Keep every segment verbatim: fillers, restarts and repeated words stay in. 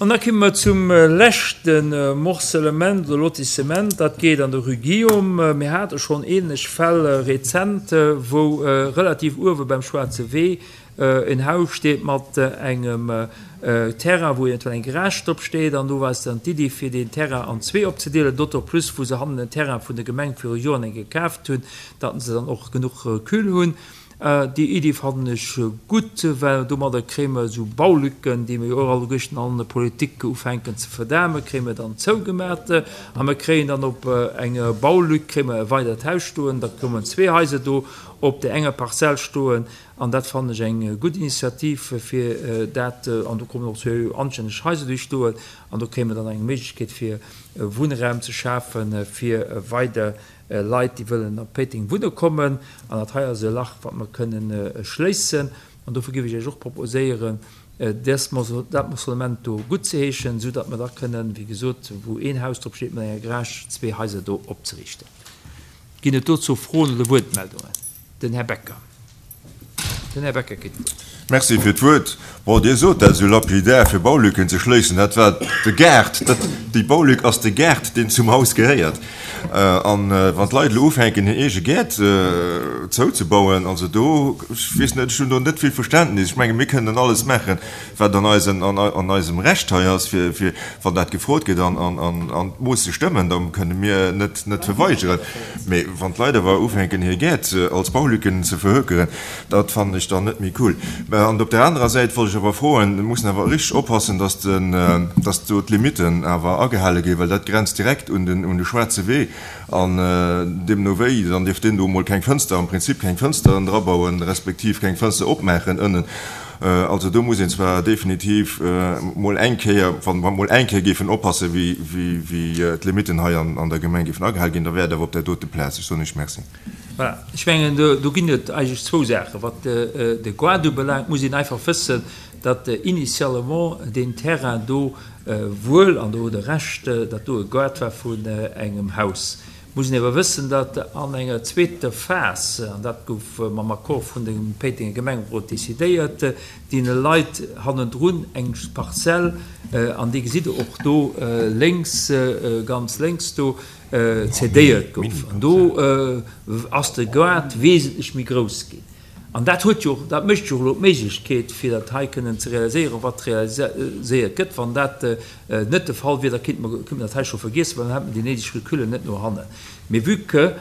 An da komme mer zum leschte Morcellement oder Lotissement, dat geet an der Rue Guillaume. Mir hate schonn ähnlech Fäll rezent, wou relativ uewe beim Schwaarze Wee en Haus steet mat engem Terrain, wou eventuell eng Garage drop steet. An do war es dann d'Iddi, fir deen Terrain an zwee opzedeelen, d'autant plus wou se hannen en Terrain vun der Gemeng viru Joren eng gekaaft hunn, datt se dann och genuch Recul hunn. Déi Iddi fannen ech gutt, well domadder kréie mer esou Baulücken, déi mir jo och alleguerten an der Politik ufänken ze verdamen, kréie mer dann zougemat. A mer kréien dann op enger Baulück kréie mer e weidert Haus stoen, da kommen zwee Haiser do op där enger Parzell stoen. An dat fannen ech eng gutt Initiativ, fir dat, an do kommen och zwee anstänneg Haiser duerch stoen, an do kréie mer dann eng Méiglechkeet fir Wunnraum ze schafen, fir weider Leit, déi wëllen op Péiteng wunne kommen. An dat hei ass e Lach, wat mer kënnen schléissen. An dofir géif ech Iech och proposéieren, dës, dat Morcellement do guttzeheeschen, esou datt mer da kënnen, wéi gesot, wou een Haus drop steet mat enger Garage, zwee Haiser do opzeriichten. Ginn et dozou Froen oder Wuertmeldungen? Den Här Becker. Den Här Becker kritt d'Wuert. Merci fir d'Wuert. Bon, Dir sot dat esou lapidär, fir Baulücken ze schléissen. Dat war de Gaart. Dat, déi Baulück ass de Gaart, deen zum Haus gehéiert. An wann d'Leit elo ufänken, hir eege Gäert zouzebauen, also do, ech weess net, ech hunn do net vill Verständnis. Ech menge mir kënnen alles maachen, wat an eisen, an eisem Recht hei ass, fir, fir wann dat gefrot gëtt an, an, an, an d'Moosse stëmmen, da kënne mir net, net verweigeren. Mee wann d'Leit awer ufänken, hir Gäert als Baulücken ze verhökeren, dat fannen ech dann net méi cool. An op der anerer Säit wollt ech awer froen, mir mussen awer richteg oppassen, dass den, dass do d'Limitten awer agehale ginn, well dat grenzt direkt un den, un de schwaarze Wee. An deemno wéi, dann dierft deen do emol keng Fënster, am Prinzip keng Fënsteren drabauen, respektiv keng Fënster opmaachen ënnen. Also do muss een zwar definitiv mol eng Kéier, wa mer mol eng Kéier géifen oppassen, wéi, wéi, wéi d'Limitten hei an, an der Gemeng géifen agehale ginn, da wär et awer op där dote Plaz. Ech soen Iech Merci. Voilà, ech mengen, do, do ginn et eigentlech zwou Saachen. Wat de Gaart ubelaangt, muss een einfach wëssen, datt initialement deen Terrain do wuel, an do hutt Der Recht, datt do e Gaart war vun engem Haus. Muss een awer wëssen, datt an enger zweeter Phas, an dat gouf mam Accord vun dem Péitenger Gemengerot decidéiert, deene Leit hannendrun eng Parzell, an déi gesitt Der och do lénks, ganz lénks do, cédéiert gouf. An do ass de Gaart wesentlech méi grouss ginn. An dat huet jo och, dat mécht jo och elo d'Méiglechkeet, fir dat hei kënnen ze realiséieren, wat realiséiert gëtt. Wann dat net de Fall wier, da kéinte mer, kéinte mer dat hei scho vergiessen, well dann hätte mer déi néideg Recullen net no hannen. Mee vue que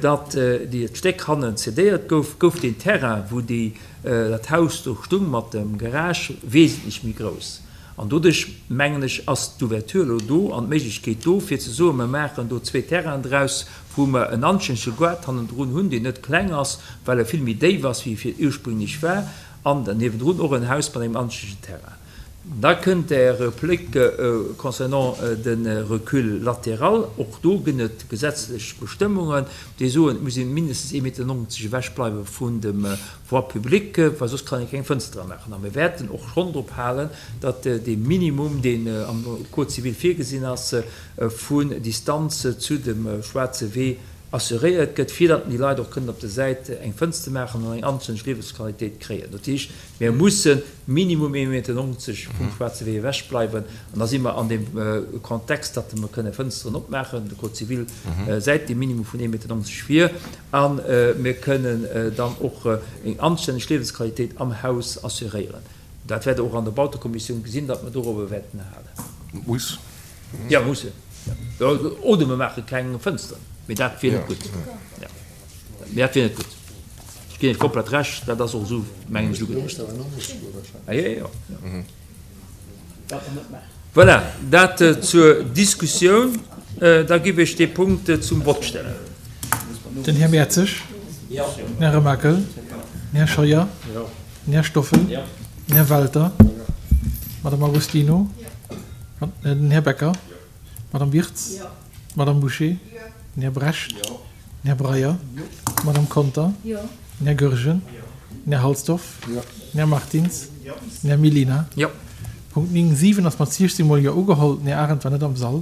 datt déi Stéck hannen cédéiert gouf, gouf deen Terrain, wou déi, dat Haus do stung mat dem Garage, wesentlech méi grouss. An doduerch, mengen ech, ass d'Ouverture elo do an d'Méiglechkeet do, fir ze soen, mer maachen do zwee Terrainen draus, wou mer en anstännege Gaart hannendrun hunn, deen net kleng ass, well e vill méi déif ass, wéi e ursprünglech war, an dann niewendrun och en Haus mat engem anstännegen Terrain. Da kënnt Är Replik concernant de Recul latéral. Och do ginn et gesetzlech Bestëmmungen, déi soen, et muss ee mindestens ee Meter neunzeg ewech bleiwe vun dem Voie publique, well soss kann ee keng Fënster maachen. A mir wäerten och schonn drop halen, datt dee Minimum, deen am Code civil virgesinn ass, vun Distanz zu dem schwaarze Wee assuréiert gëtt, fir datt déi Leit och kënnen op der Säit eng Fënster maachen an eng anstänneg Liewensqualitéit kréien. Dat heescht, mir musse minimum ee Meter neunzeg vum schwaarze Wee ewech bleiwen. An da si mer an deem Kontext, datt mer kënne Fënsteren opmaachen, de Code civil säit dee Minimum vun ee Meter neunzeg vir, a mir kënnen dann och eng anstänneg Liewensqualitéit am Haus assuréieren. Dat wäert Der och an der Bautekommissioun gesinn, datt mer dorobber wäerten halen. Muss. Jo, musse. Oder mer maache keng Fënsteren, mee dat wier net gutt. Mee dat wier net gutt. Ech ginn Iech komplett Recht, dat ass och esou, mengen ech, ugeduecht. Jo, jo. Voilà, dat zur Diskussioun. Da giff ech dee Punkt zum Vott stellen. Den Här Mertzig. Den Här Remakel. Den Här Scheuer. Den Här Stoffel. Den Här Welter. D'Madame Agostino. Den Här Becker. D'Madame Wirtz. D'Madame Bouché. Den Här Brecht. Den Här Breyer. D'Madame Conter. Den Här Goergen. Den Här Halsdorf. Den Här Martins. Den Här Mellina. Punkt néng siwen ass mat siechzéng mol Jo ugeholl. Den Här Arendt war net am Sall.